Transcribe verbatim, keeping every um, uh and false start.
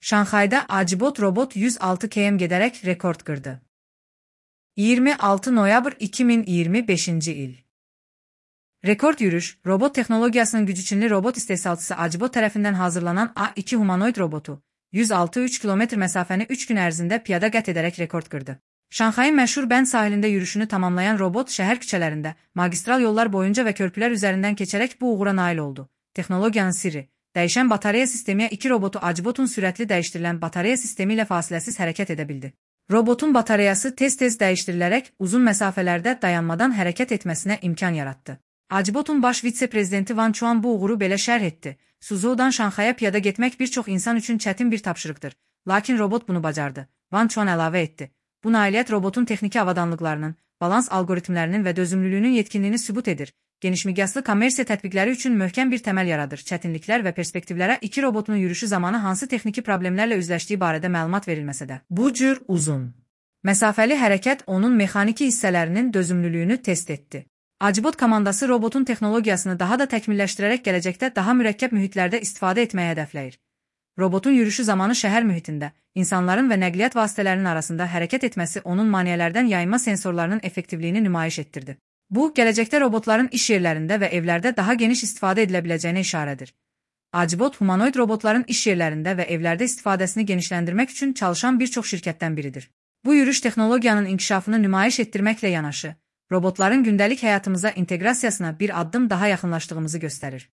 Şanxayda Acibot robot yüz altı kilometre giderek rekord kırdı. yirmi altı noyabr iki bin iyirmi beşinci il. Rekord yürüyüş, robot teknolojisinin gücü Çinli robot istehsalçısı Acibot tarafından hazırlanan A iki humanoid robotu, yüz altı nokta üç kilometre mesafeni üç gün ərzində piyada qət edərək rekord kırdı. Şanxayın məşhur Bənd sahilində yürüyüşünü tamamlayan robot şəhər küçələrində, magistral yollar boyunca və körpülər üzərindən keçərək bu uğura nail oldu. Texnologiyanın sirri, dəyişən batareya sistemiyə iki robotu Acibotun sürətli dəyişdirilən batareya sistemi ilə fasiləsiz hərəkət edə bildi. Robotun batareyası tez-tez dəyişdirilərək uzun məsafələrdə dayanmadan hərəkət etməsinə imkan yaratdı. Acibotun baş vitse-prezidenti Van Chuan bu uğuru belə şərh etdi. Suzhoudan Şanxaya piyada getmək bir çox insan üçün çətin bir tapşırıqdır. Lakin robot bunu bacardı. Van Chuan əlavə etdi. Bu nailiyyət robotun texniki avadanlıqlarının, balans algoritmlərinin və dözümlülüyünün yetkinliyini sübut edir. Genişmiqyaslı kommersiya tətbiqləri üçün möhkəm bir təməl yaradır. Çətinliklər və perspektivlərə iki robotun yürüyüşü zamanı hansı texniki problemlərlə üzləşdiyi barədə məlumat verilməsə də. Bu cür uzun məsafəli hərəkət onun mexaniki hissələrinin dözümlülüyünü test etdi. Acibot komandası robotun texnologiyasını daha da təkmilləşdirərək gələcəkdə daha mürəkkəb mühitlərdə istifadə etməyə hədəfləyir. Robotun yürüyüşü zamanı şəhər mühitində, insanların və nəqliyyat vasitələrinin arasında hərəkət etməsi onun maneələrdən yayınma sensorlarının effektivliyini nümayiş etdirdi. Bu, gələcəkdə robotların iş yerlərində və evlərdə daha geniş istifadə edilə biləcəyinə işarədir. Acibot, humanoid robotların iş yerlərində və evlərdə istifadəsini genişləndirmək üçün çalışan bir çox şirkətdən biridir. Bu yürüyüş texnologiyanın inkişafını nümayiş etdirməklə yanaşı, robotların gündəlik həyatımıza inteqrasiyasına bir addım daha yaxınlaşdığımızı göstərir.